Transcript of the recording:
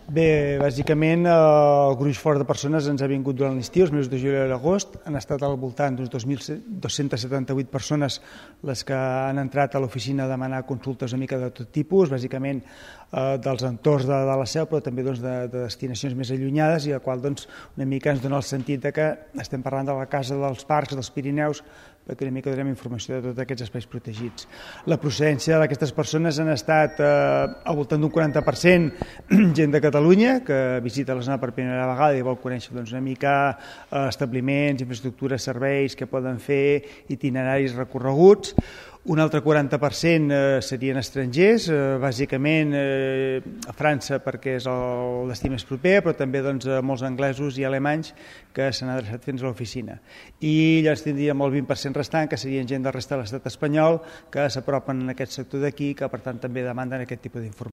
Bé, bàsicament el gruix fort de persones ens ha vingut durant l'estiu, els mesos de juliol i l'agost. Han estat al voltant d'uns 2.278 persones les que han entrat a l'oficina a demanar consultes una mica de tot tipus, bàsicament dels entorns de la Seu, però també de destinacions més allunyades, i el qual una mica ens dona el sentit que estem parlant de la Casa dels Parcs dels Pirineus, perquè una mica donem informació de tots aquests espais protegits. La procedència d'aquestes persones han estat al voltant d'un 40% gent de Catalunya, que visita la zona per primera vegada i vol conèixer una mica establiments, infraestructures, serveis que poden fer, itineraris recorreguts. Un altre 40% serien estrangers, bàsicament a França perquè és el destí més proper, però també molts anglesos i alemanys que s'han adreçat fins a l'oficina. I llavors tindríem el 20% restant, que serien gent del resta de l'estat espanyol, que s'apropen en aquest sector d'aquí, que per tant també demanden aquest tipus d'informació.